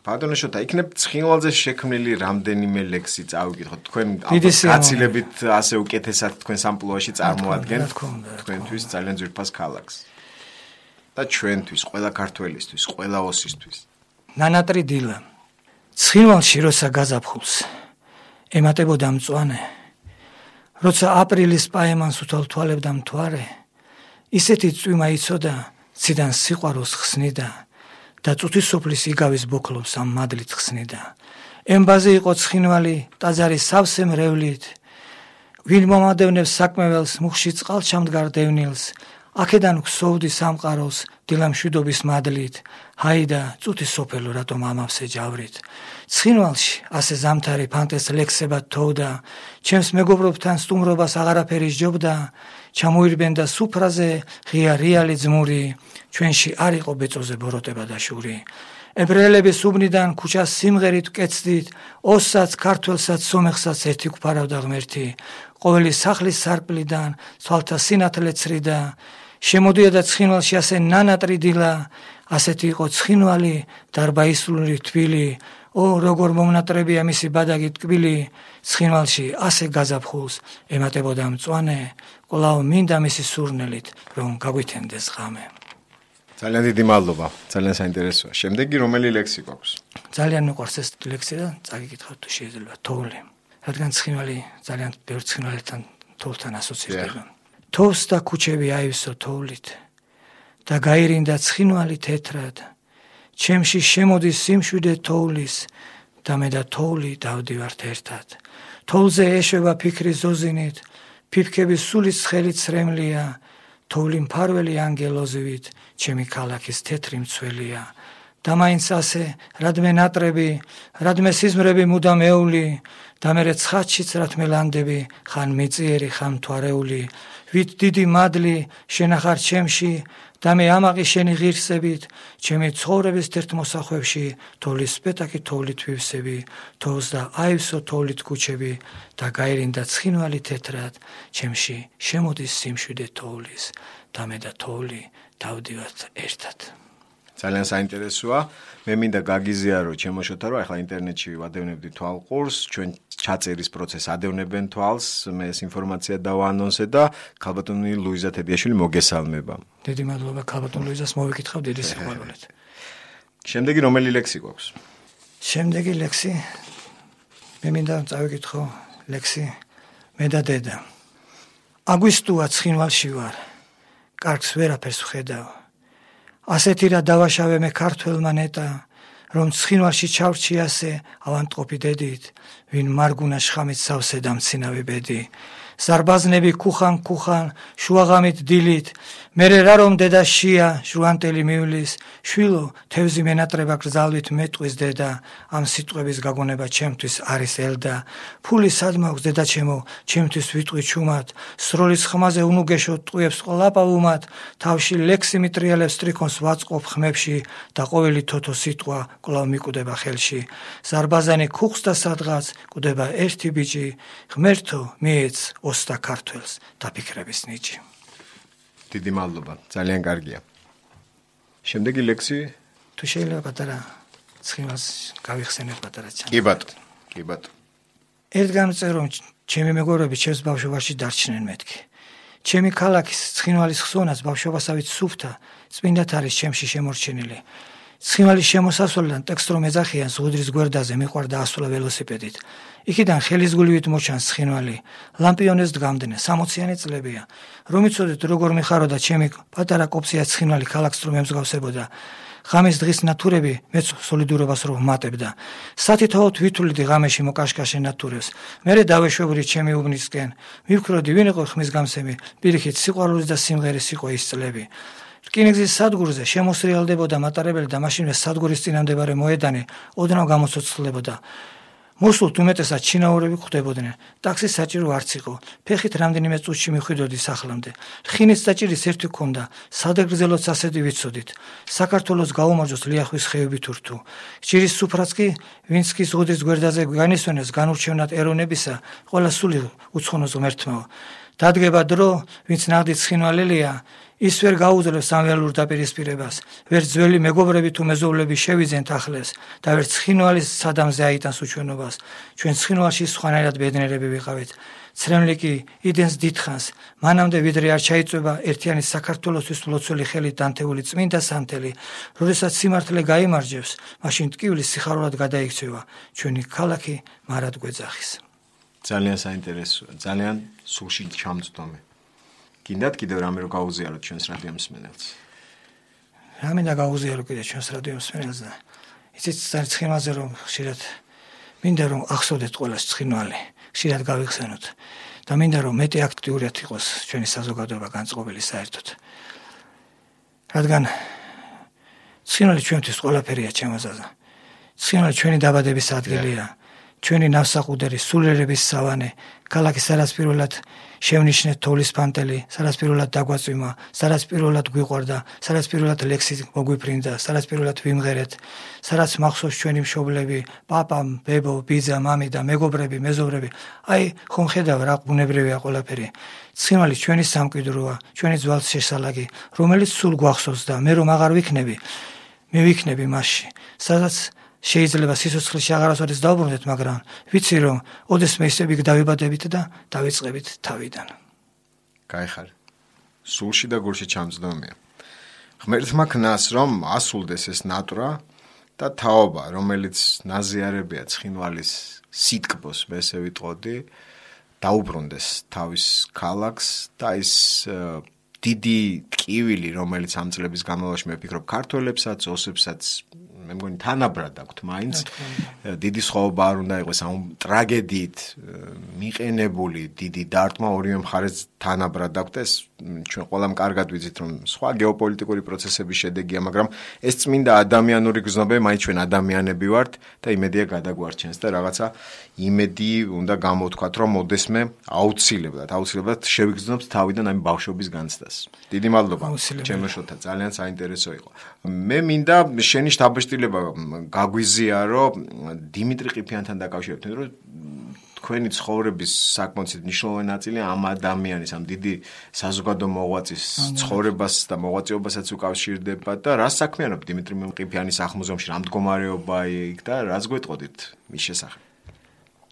ბატონო შოთა, იქნებ ცხინვალზე შექმნილი რამდენიმე ლექსი წავიკითხოთ. თქვენ გაცილებით ასე უკეთესად თქვენ სამპლუაში წარმოადგენთ თქვენთვის ძალიან ძვირფას ქალაქს. და ჩვენთვის, ყველა ქართველისთვის, ყველა ოსისთვის. ნანატრი დილა ცხინვალში როცა გაზაფხულს ემატებოდა მწვანე, როცა აპრილის პაემანს უთვალთვალებდა მთვარე, ისეთი წვიმა იცოდა, ციდან სიყვარულს ხსნიდა და წუთის სოფლის იგავის ბოქლობს ამ მადლით ხსნიდა. ემბაზე იყო ცხინვალი ტაძარი სავსე მრევლით, ვინ მომადევნებს საქმეველს მუხში წყალჩამდგარ დევნილს, აქედან ქსოვდი სამყაროს დილამშვიდობის მადლით, ჰაიდა წუთის სოფელო რატომ ამავსე ჯავრით. ცხინვალში ასე ზამთარი ფანტეს ლექსებად თოვდა, ჩემს მეგობრებთან სტუმრობას აღარაფერი სჯობდა, ჩამოირბენდა სუფრაზე ღია რიალი ძმური, ჩვენში არ იყო ბეწოზე ბოროტება და შური. ებრაელების უბნიდან ქუჩას სიმღერით ვკეცდით, ოსსაც, ქართველსაც, სომეხსაც ერთი გვფარავდა ღმერთი, ყოველი სახლის სარკმლიდან ცვალთა სინათლე ცრიდა, შემოდიოდა ცხინვალში ასე ნანატრი დილა, ასეთი იყო ცხინვალი, დარბაისული თბილი, ო როგორ მომნატრებია მისი ბადაგი ტკბილი, ცხინვალში ასე გაზაფხულს ემატებოდა მწვანე, კვლავ მინდა მისი სურნელით, რომ გაგვითენდეს ღამე. ძალიან დიდი მადლობა, ძალიან საინტერესოა. შემდეგი რომელი ლექსი გვაქვს? ძალიან მიყვარს ეს ლექსი და წაგიკითხავთ თუ შეიძლება, თოვლი. რადგან ცხინვალი ძალიან ბევრ ცხინვალთან თოვლთან ასოცირდება. თოვს და ქუჩები აივსო თოვლით და გაირინდა ცხინვალი თეთრად, ჩემში შემოდის სიმშვიდე თოვლის და მე და თოვლი დავდივართ ერთად. თოვლზე ეშვება ფიქრი ზოზინით, ფიფქების სულის ცხელი ცრემლია, თოვლი მფარველი ანგელოზივით, ჩემი ქალაქის თეთრი მცველია. და მაინც ასე რადმე ნატრები, რადმე სიზმრები მუდამ ეული, და მერე ცხადშიც რათმე ლანდები, ხან მიწიერი, ხან მთვარეული, ვით დიდი მადლი შენახარ ჩემში, და მე ამაყი შენი ღირსებით, ჩემი ცხოვრების თერთ მოსახვევში, თოვლის სპეტაკი თოვლით ვივსები, თოვს და აივსო თოვლით ქუჩები, და გაირინდა ცხინვალი თეთრად, ჩემში შემოდის სიმშვიდე თოვლის, და მე და თოვლი დავდივართ ერთად. ძალიან საინტერესოა. მე მინდა გაგიზიარო ჩემო შოთა, რომ ახლა ინტერნეტში ვადევნებდი თვალყურს, ჩვენ ჩაწერის პროცესს ადევნებენ თვალს, მე ეს ინფორმაცია დავაანონსე და ქალბატონი ლუიზა თედიაშვილი მოგესალმება. დიდი მადლობა ქალბატონ ლუიზას მოვიკითხავ დიდი სიყვარულით. შემდეგი რომელი ლექსი გვაქვს? შემდეგი ლექსი მე მინდა წავიკითხო ლექსი მე და დედა. აგვისტუა ცხინვალში ვარ, კარგს ვერაფერს ვხედავ. ასეთი რა დავაშავე მე ქართველმა ნეტა, რომ ცხინვალში ჩავრჩი ასე ავანტყოფი დედით, ვინ მარგუნა შხამით სავსე და მცინავი ბედი. ზარბაზნები ქუხან ქუხან, შუაღამით დილით, მერე რა რომ დედა შია, ჟუანტელი მივლის, შვილო, თევზი მენატრება გრძალვით მეტყვის დედა, ამ სიტყვების გაგონება ჩემთვის არის ელდა, ფული სად მაქვს დედა ჩემო, ჩემთვის ვიტყვი ჩუმად, სროლის ხმაზე უნუგეშო ტყვიებს ყლაპავუმად, თავში ლექსი მიტრიალებს ტრიქონს ვაწყობ ხმებში და ყოველი თოთო სიტყვა კვლავ მიკუდება ხელში. ზარბაზანი ქუხს და სადღაც კუდება ერთი ბიჭი, ღმერთო მიეც ოსთა ქართველს დაფიქრების ნიჭი. დიდი მადლობა, ძალიან კარგია. შემდეგი ლექსი? თუ შეიძლება პატარა ცხინვალს გავიხსენებ პატარა ჩანს. კი ბატონო, კი ბატონო. ერთ გამწერ რომ ჩემი მეგობრები ჩემს ბავშვობაში დარჩნენ მეთქი. ჩემი ქალაქის ცხინვალის ხსონას ბავშვობასავით სუფთა წმინდათ არის ჩემში შემორჩენილი. ცხინვალის შემოსასვლელიდან ტექსტ რომ ეძახიან ზღუდრის გვერდაზე მიყვარდა ასვლა ველოსიპედით. იქიდან ხელისგულივით მოჩანს ცხინვალი. ლამპიონეს დგამდნენ, სამოციანი წლებია. რომ იცოდეთ როგორ მიხაროდა ჩემი პატარა კოპსია ცხინვალი ქალაქს რომ ემსგავსებოდა. ღამის დღის ნათურები მეც სოლიდურობას რომ ვმატებდა. სათითაოდ ვითვლიდი ღამეში მოკაშკაშე ნათურებს. მერე დავეშვებოდი ჩემი უბნისკენ. მივქროდი ვინ იყო ხმის გამსემი, პირიქით სიყვარულის და სიმღერის იყო ის წლები. რკინიგზის სადგურზე შემოსრიალდებოდა მატარებელი და მაშინვე სადგურის წინამდებარე მოედანი ოდნავ გამოცოცხლებოდა. მოსულთ უმეტესად ჩინაურები ხვდებოდნენ. ტაქსის საჭირო არც იყო. ფეხით რამდენიმე წუთში მიხვიდოდი სახლამდე. რხინის საჭირის ერთი ჰქონდა. სადაგრძელოც ასეთი ვიცოდით. საქართველოს გაუმარჯოს ლიახვის ხეებით ურთუ. ჭირის სუფრაც კი ვინც კი ზღუდრის გვერდაზე განისვენეს განურჩევნად ეროვნებისა, ყველა სული უცხონოს ღმერთმაო. დადგება დრო, ვინც ნაღდით ცხინვალელია, ის ვერ გაუძლებს სამველურ დაპირისპირებას, ვერ ძველი მეგობრები თუ მეზობლები შევიძენთ ახლეს და ვერ ცხინვალის სადამზე აიტანს უჩვენობას. ჩვენ ცხინვალში სხვანაირად ბედნიერები ვიყავით. ცრემლი კი იდენს დიდხანს, მანამდე ვიდრე არ ჩაიწვება ერთიანი საქართველოსთვის მლოცველი ხელით დანთეული წმინდა სანთელი, როდესაც სიმართლე გაიმარჯვებს, მაშინ ტკივილი სიხარულად გადაიქცევა, ჩვენი ქალაქი მარად გვეძახის. ძალიან საინტერესოა, ძალიან სულში ჩამწვდომი. გინდათ კიდევ რამე რო გაუზიაროთ ჩვენს რადიო მსმენელს? რამე და გაუზიარო კიდევ ჩვენს რადიო მსმენელს და იცით ცხინვალზე რომ ხშირად მინდა რომ ახსოვდეთ ყველას ცხინვალი, ხშირად გავიხსენოთ და მინდა რომ მეტი აქტიურად იყოს ჩვენი საზოგადოება განწყობილი საერთოდ. რადგან ცხინვალი ჩვენთვის ყველაფერია ჩემოზაზა. ცხინვალი ჩვენი დაბადების ადგილია. ჩვენი ნავსაყუდერი, სულიერების სავანე, ქალაქი სადაც პირველად შევნიშნეთ თოვლის ფანტელი, სადაც პირველად დაგვაწვიმა, სადაც პირველად გვიყვარდა, სადაც პირველად ლექსი მოგვიფრინდა, სადაც პირველად ვიმღერეთ, სადაც მახსოვს ჩვენი მშობლები, პაპა, ბებო, ბიძა, მამი და მეგობრები, მეზობრები. აი, ხომ ხედავ რა ბუნებრივია ყველაფერი. ცხინვალი ჩვენი სამკვიდროა, ჩვენი ძვალს შესალაგი, რომელიც სულ გვახსოვს და მე რომ აღარ ვიქნები, მე ვიქნები მასში, სადაც შეიძლება სიცოცხლეში აღარასოდეს დავბრუნდეთ, მაგრამ ვიცი რომ ოდესმე ისე იქ დავიბადებით და დავიწყებით თავიდან. გაიხარ. სულში და გულში ჩამწვდომია. ღმერთმა ქნას რომ ასულდეს ეს ნატრა და თაობა, რომელიც ნაზიარებია ცხინვალის სიტკბოს, მე ესე ვიტყოდი, დაუბრუნდეს თავის ქალაქს და ის დიდი ტკივილი, რომელიც ამ წლების განმავლობაში მე ვფიქრობ ქართველებსაც, ოსებსაც მე მგონი თანაბრად აქვთ მაინც დიდი სხვაობა არ უნდა იყოს ამ ტრაგედიით მიყენებული დიდი დარტყმა ორივე მხარეს თანაბრად აქვთ ეს ჩვენ ყველამ კარგად ვიცით რომ სხვა გეოპოლიტიკური პროცესების შედეგია მაგრამ ეს წმინდა ადამიანური გზნობები მაინც ჩვენ ადამიანები ვართ და იმედია გადაგვარჩენს და რაღაცა იმედი უნდა გამოვთქვათ რომ ოდესმე აუცილებლად აუცილებლად შევიგრძნობთ თავიდან ამ ბავშვობის განცდას. დიდი მადლობა ჩემო შოთა ძალიან საინტერესო იყო. მე მინდა შენი შთაბეჭდილება გაგვიზიარო დიმიტრი ყიფიანთან დაკავშირებით, რომ თქვენი ცხოვრების საკმაოდ მნიშვნელოვანი ნაწილი ამ ადამიანის, ამ დიდი საზოგადო მოღვაწის ცხოვრებას და მოღვაწეობასაც უკავშირდება და რას საქმიანობ დიმიტრი ყიფიანის სახლ-მუზეუმში, რა მდგომარეობა იქ და რას გვეტყოდით მის შესახებ?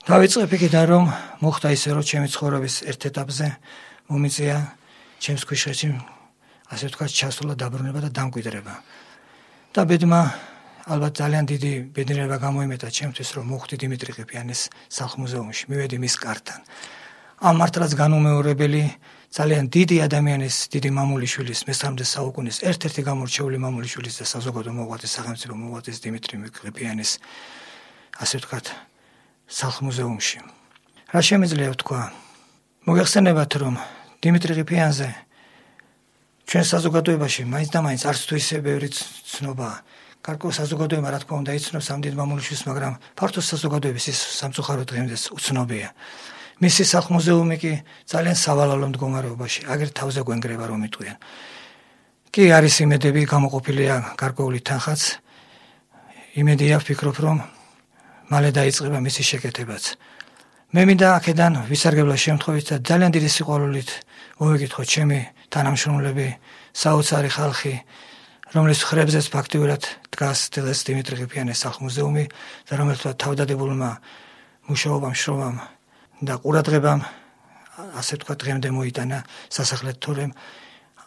დავიწყებ იქიდან რომ მოხდა ისე რომ ჩემი ცხოვრების ერთ ეტაპზე მომიწია ჩემს ქვიშხეთში ასე ვთქვათ ჩასვლა დაბრუნება და დამკვიდრება. და ბედმა ალბათ ძალიან დიდი ბედნიერება გამოიმეტა ჩემთვის რომ მოხვდი დიმიტრი ყიფიანის სახლ-მუზეუმში, მივედი მის კართან. ამ მართლაც განუმეორებელი ძალიან დიდი ადამიანის, დიდი მამულიშვილის, მესამედე საუკუნის ერთ-ერთი გამორჩეული მამულიშვილის და საზოგადო მოღვაწის, სახელმწიფო მოღვაწის დიმიტრი ყიფიანის ასე ვთქვათ სახლ-მუზეუმში. რა შემიძლია ვთქვა? მოგეხსენებათ რომ დიმიტრი ყიფიანზე ჩვენ საზოგადოებაში მაინც და მაინც არც თუ ისე ბევრი ცნობაა. გარკვეულ საზოგადოება რა თქმა უნდა იცნობს ამ დიდ მამულიშვილს, მაგრამ ფართო საზოგადოების ის სამწუხაროდ დღემდეც უცნობია. მისი სახლ-მუზეუმი კი ძალიან სავალალო მდგომარეობაში, აგერ თავზე გვენგრება რომ იტყვიან. კი არის იმედები, გამოყოფილია გარკვეული თანხაც. იმედია ვფიქრობ რომ მალე დაიწყება მისი შეკეთებაც. მე მინდა აქედან ვისარგებლო შემთხვევით და ძალიან დიდი სიყვარულით მოვეკითხო ჩემი თანამშრომლები, საოცარი ხალხი, რომლის ხრებზეც ფაქტიურად დგას დღეს დიმიტრი ყიფიანის სახლ-მუზეუმი და რომელთაც თავდადებულმა მუშაობამ, შრომამ და ყურადღებამ ასე ვთქვათ დღემდე მოიტანა სასახლედ თორემ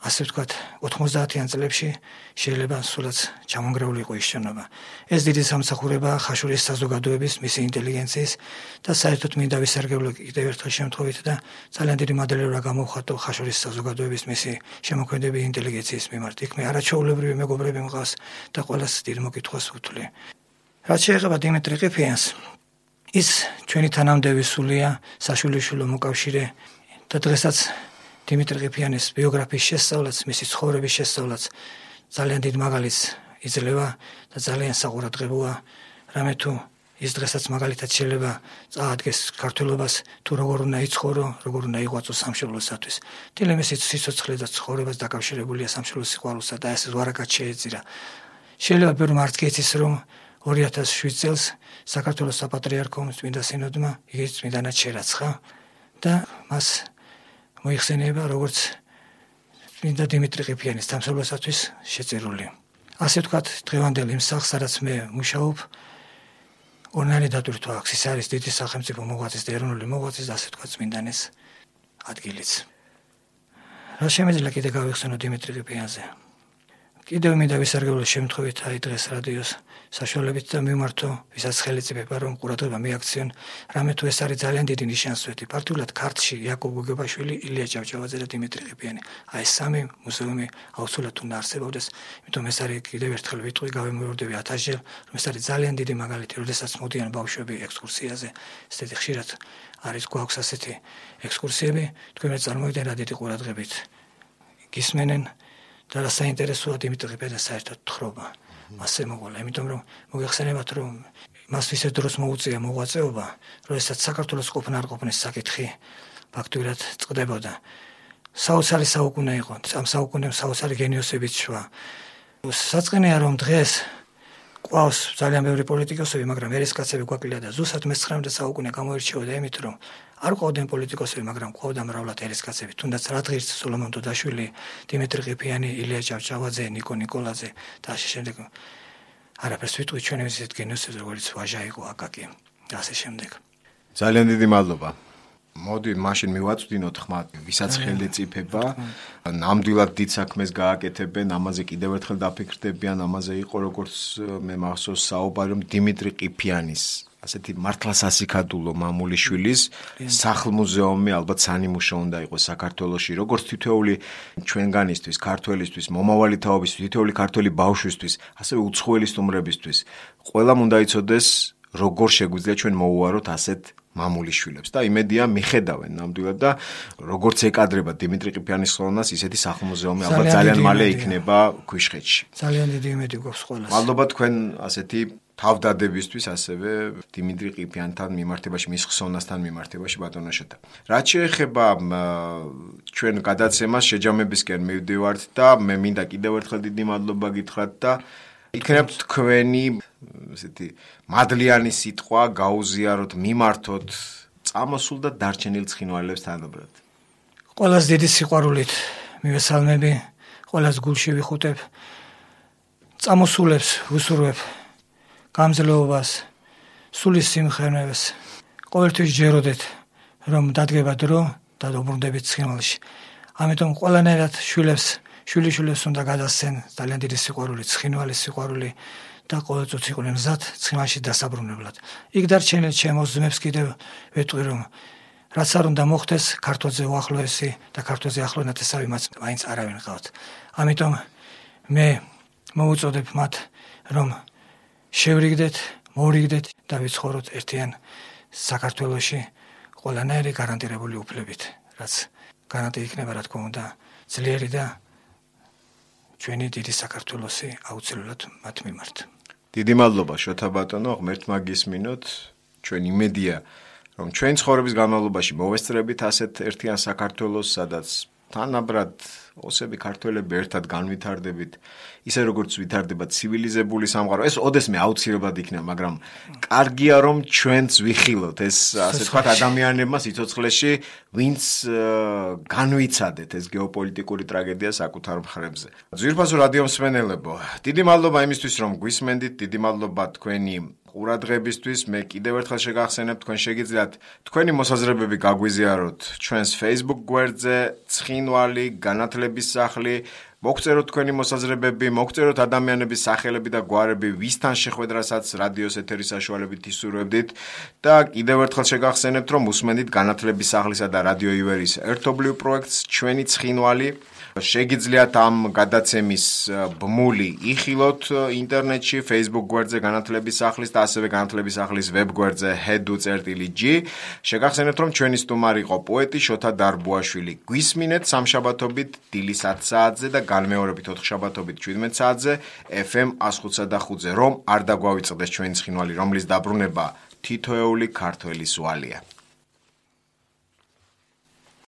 ასე ვთქვათ, ოთხმოცდაათიან წლებში შეიძლება სულაც ჩამონგრეული იყო ის შენობა. ეს დიდი სამსახურებაა ხაშურის საზოგადოების, მისი ინტელიგენციის და საერთოდ მინდა ვისარგებლო კიდევ ერთხელ შემთხვევით და ძალიან დიდი მადლიერება გამოვხატო ხაშურის საზოგადოების, მისი შემოქმედების ინტელიგენციის მიმართ. იქ მე არაჩვეულებრივი მეგობრები მყავს და ყველას დიდ მოკითხვას ვუთვლი. რაც შეეხება დიმიტრი ყიფიანს, ის ჩვენი თანამდები სულია საშვილიშვილო მოკავშირე და დღესაც დიმიტრი ყიფიანის ბიოგრაფიის შესწავლაც, მისი ცხოვრების შესწავლაც ძალიან დიდ მაგალითს იძლევა და ძალიან საყურადღებოა, რამე თუ ის დღესაც მაგალითად შეიძლება წაადგეს ქართველობას თუ როგორ უნდა იცხოვრო, როგორ უნდა იღვაწო სამშობლოსათვის. თილემის სიცოცხლე და ცხოვრებას დაკავშირებულია სამშობლოს სიყვარულსა და ეს ვარაკად შეეწირა. შეიძლება ბევრი მართკეცის რომ ორი ათას შვიდ წელს საქართველოს საპატრიარქომ წმინდა სინოდმა იგი წმინდანად შერაცხა და მას მოიხსენიება როგორც წმინდა დიმიტრი ყიფიანის სამშობლოსათვის შეწირული. ასე ვთქვათ, დღევანდელ იმ სახლს, სადაც მე მუშაობ, ორნარი დატვირთვა აქვს. ის არის დიდი სახელმწიფო მოღვაწის და ეროვნული მოღვაწის და ასე ვთქვათ წმინდანის ადგილიც. რა შემეძლია კიდე გავიხსენო დიმიტრი ყიფიანზე? კიდევ მინდა ვისარგებლო შემთხვევით აი დღეს რადიოს საშუალებით და მიმართო ვისაც ხელისუფლება რომ ყურადღება მიაქციონ, რამე თუ ეს არის ძალიან დიდი ნიშანსვეტი. პარტიულად ქართლში იაკობ გოგებაშვილი, ილია ჭავჭავაძე და დიმიტრი ყიფიანი. აი ეს სამი მუზეუმი აუცილებლად უნდა არსებობდეს, იმიტომ ეს არის კიდევ ერთხელ ვიტყვი, გავემეორდები ათასჯერ, რომ ეს არის ძალიან დიდი მაგალითი, როდესაც მოდიან ბავშვები ექსკურსიაზე, ესეთი ხშირად არის გვაქვს ასეთი ექსკურსიები, თქვენ მე წარმოვიდნენ რა დიდი ყურადღებით გისმენენ და რა საინტერესოა დიმიტრი ყიფიანის საერთოდ თხრობა. მასე მოგოლა, იმიტომ რომ მოგეხსენებათ რომ მას ისე დროს მოუწია მოღვაწეობა, როდესაც საქართველოს ყოფნა არ ყოფნის საკითხი ფაქტურად წყდებოდა. საოცარი საუკუნე იყო, ამ საუკუნემ საოცარი გენიოსებიც შვა. საწყენია რომ დღეს ყავს ძალიან ბევრი პოლიტიკოსები, მაგრამ ერისკაცები გვაკლია და ზუსტად მეცხრამეტე საუკუნე გამოირჩეოდა იმით, რომ არ ყავდნენ პოლიტიკოსები, მაგრამ ყავდა მრავლად ერისკაცები. თუნდაც რადღირს სოლომონ დოდაშვილი, დიმიტრი ყიფიანი, ილია ჭავჭავაძე, ნიკო ნიკოლაძე და ასე შემდეგ. არაფერს ვიტყვი ჩვენ ისეთ გენიოსებს, როგორც ვაჟა იყო აკაკი და ასე შემდეგ. ძალიან დიდი მადლობა. მოდი მაშინ მივაწვდინოთ ხმა, ვისაც ხელიწიფება, ნამდვილად დიდ საქმეს გააკეთებენ, ამაზე კიდევ ერთხელ დაფიქრდებიან, ამაზე იყო როგორც მე მახსოვს საუბარი რომ დიმიტრი ყიფიანის ასეთი მართლა სასიქადულო მამულიშვილის სახლ-მუზეუმი ალბათ სანიმუშო უნდა იყოს საქართველოში, როგორც თითოეული ჩვენგანისთვის, ქართველისთვის, მომავალი თაობისთვის, თითოეული ქართველი ბავშვისთვის, ასევე უცხოელი სტუმრებისთვის, ყველამ უნდა იცოდეს, როგორ შეგვიძლია ჩვენ მოუვაროთ ასეთ მამულიშვილებს და იმედია მიხედავენ ნამდვილად და როგორც ეკადრება დიმიტრი ყიფიანის ხელოვნებას, ისეთი სახლ-მუზეუმი ალბათ ძალიან მალე იქნება ქვიშხეთში. ძალიან დიდი იმედი გვაქვს ყველას. მადლობა თქვენ ასეთი თავდადებისთვის, ასევე დიმიტრი ყიფიანთან მიმართებაში, მის ხსოვნასთან მიმართებაში ბატონოშეთა. რაც შეეხება ჩვენ გადაცემას შეჯამებისკენ მივდივართ და მე მინდა კიდევ ერთხელ დიდი მადლობა გითხრათ და იქნებ თქვენი ესეთი მადლიანი სიტყვა გაუზიაროთ, მიმართოთ წამოსულ და დარჩენილ ცხინვალებს თანაბრად. ყველას დიდი სიყვარულით მივესალმები, ყველას გულში ვიხუტებ, წამოსულებს ვუსურვებ გამძლეობას, სულის სიმხერნეს, ყოველთვის ჯეროდეთ, რომ დადგება დრო და დაუბრუნდებით ცხინვალში. ამიტომ ყველანაირად შვილებს, შვილიშვილებს უნდა გადასცენ ძალიან დიდი სიყვარული, ცხინვალის სიყვარული და ყოველწუთი იყვნენ მზად ცხინვალში დასაბრუნებლად. იქ დარჩენილ ჩემს ძმებს კიდევ ვეტყვი რომ რაც არ უნდა მოხდეს, ქართლზე უახლოესი და ქართლზე ახლო ნათესავი მათ მაინც არავინ ყავთ. ამიტომ მე მოუწოდებ მათ რომ შევრიგდეთ, მოვრიგდეთ და ვიცხოვროთ ერთიან საქართველოში ყველანაირი გარანტირებული უფლებით, რაც გარანტი იქნება რა თქმა უნდა ძლიერი და ჩვენი დიდი საქართველოსი აუცილებლად მათ მიმართ. დიდი მადლობა შოთა ბატონო, ღმერთმა გისმინოთ, ჩვენ იმედია რომ ჩვენ ცხოვრების განმავლობაში მოვესწრებით ასეთ ერთიან საქართველოს, სადაც თანაბრად ოსები ქართველები ერთად განვითარდებით, ისე როგორც ვითარდება ცივილიზებული სამყარო. ეს ოდესმე აუცილებლად იქნება, მაგრამ კარგია რომ ჩვენც ვიხილოთ ეს ასე ვთქვათ ადამიანებმა სიცოცხლეში, ვინც განვიცადეთ ეს გეოპოლიტიკური ტრაგედია საკუთარ მხრებზე. ძვირფასო რადიო მსმენელებო, დიდი მადლობა იმისთვის რომ გვისმენდით, დიდი მადლობა თქვენი ყურადღებისთვის. მე კიდევ ერთხელ შეგახსენებ, თქვენ შეგიძლიათ თქვენი მოსაზრებები გაგვიზიაროთ ჩვენს Facebook გვერდზე, ცხინვალი, განათლების სახლი. მოგწეროთ თქვენი მოსაზრებები, მოგწეროთ ადამიანების სახელები და გვარები, ვისთან შეხვედრასაც რადიოს ეთერის საშუალებით ისურვებდით და კიდევ ერთხელ შეგახსენებთ, რომ უსმენთ განათლების სახლისა და რადიო ივერის ერთობლივ პროექტს ჩვენი ცხინვალი. შეგიძლიათ ამ გადაცემის ბმული იხილოთ ინტერნეტში, Facebook გვერდზე განათლების სახლის და ასევე განათლების სახლის ვებ გვერდზე ჰედუ წერტილი ჯი. შეგახსენებთ, რომ ჩვენი სტუმარი იყო პოეტი შოთა დარბუაშვილი. გვისმინეთ სამშაბათობით დილის ათ საათზე და განმეორებით ოთხშაბათობით შვიდმეტ საათზე ეფ ემ one oh five point five-ზე, რომ არ დაგვავიწყდეს ჩვენი ცხინვალი, რომლის დაბრუნება თითოეული ქართველის ვალია.